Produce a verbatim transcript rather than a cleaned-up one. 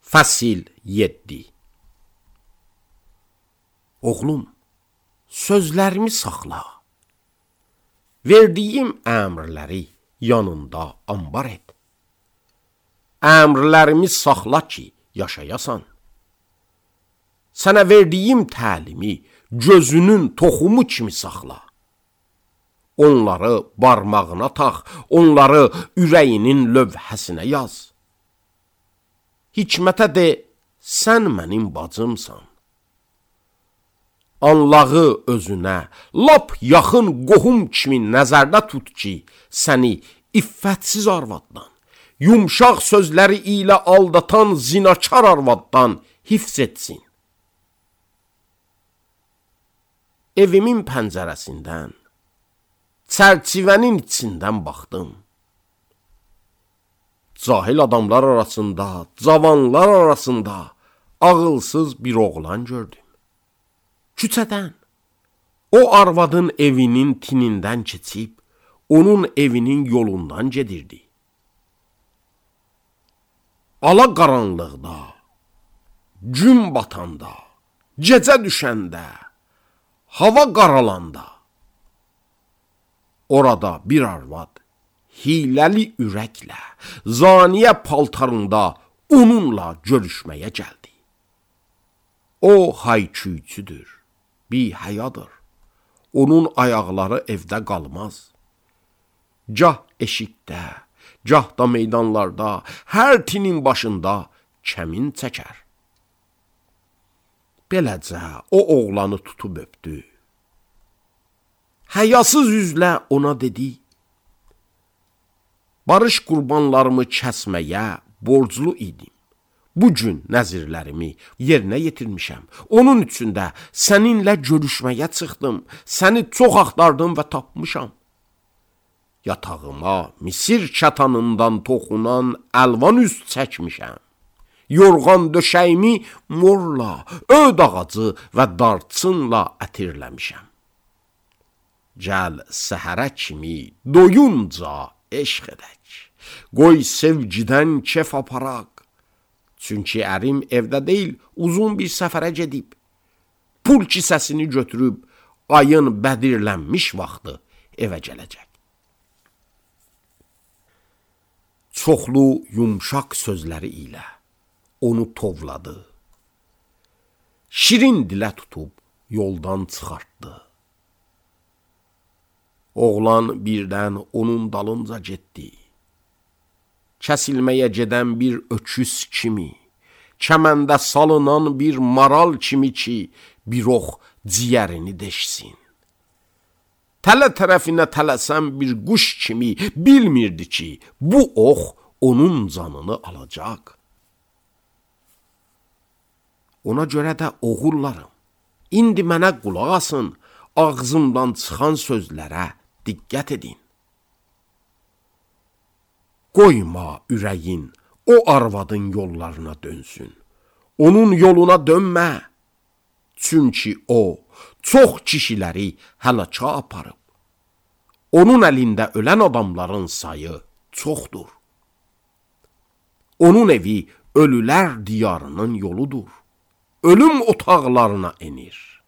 Fəsil yeddi. Oğlum, sözlərimi saxla. Verdiyim əmrləri yanında ambar et. Əmrlərimi saxla ki, yaşayasan. Sənə verdiyim təlimi gözünün toxumu kimi saxla. Onları barmağına tax, onları ürəyinin lövhəsinə yaz. Hikmətə de, sən mənim bacımsan. Anlağı özünə, lap yaxın qohum kimi nəzərdə tut ki, səni iffətsiz arvaddan, yumşaq sözləri ilə aldatan zinakar arvaddan hifz etsin. Evimin pəncərəsindən, çərçivənin içindən baxdım. Cahil adamlar arasında, cavanlar arasında ağılsız bir oğlan gördüm. Küçədən, o arvadın evinin tinindən keçib, onun evinin yolundan gedirdi. Ala qaranlıqda, gün batanda, gecə düşəndə, hava qaralanda, orada bir arvad, hiləli ürəklə, zaniyə paltarında onunla görüşməyə gəldi. O hayküyçüdür, bihəyadır. Onun ayaqları evdə qalmaz. Gah eşikdə, gah da meydanlarda, hər tinin başında kəmin çəkər. Beləcə o oğlanı tutub öpdü. Həyasız üzlə ona dedi, barış qurbanlarımı kəsməyə borclu idim. Bugün nəzirlərimi yerinə yetirmişəm. Onun üçün də səninlə görüşməyə çıxdım. Səni çox axtardım və tapmışam. Yatağıma Misir kətanından toxunan əlvan üst çəkmişəm. Yorğan döşəyimi morla, öd ağacı və darçınla ətirləmişəm. Gəl səhərə kimi doyunca eşq edək. Qoy sevgidən kef aparaq. Çünki ərim evdə deyil, uzun bir səfərə gedib. Pul kisəsini götürüb, ayın bədirlənmiş vaxtı evə gələcək. Çoxlu yumşaq sözləri ilə onu tovladı. Şirin dilə tutub yoldan çıxartdı. Oğlan birdən onun dalınca getdi. Kəsilməyə gedən bir öküz kimi, kəməndə salınan bir maral kimi ki, bir ox ciyərini deşsin. Tələ tərəfinə tələsən bir quş kimi bilmirdi ki, bu ox onun canını alacaq. Ona görə də oğullarım, indi mənə qulaq asın, ağzımdan çıxan sözlərə diqqət edin. Qoyma ürəyin o arvadın yollarına dönsün. Onun yoluna dönmə. Çünki o çox kişiləri həlaka aparıb. Onun əlində ölən adamların sayı çoxdur. Onun evi ölülər diyarının yoludur. Ölüm otaqlarına enir.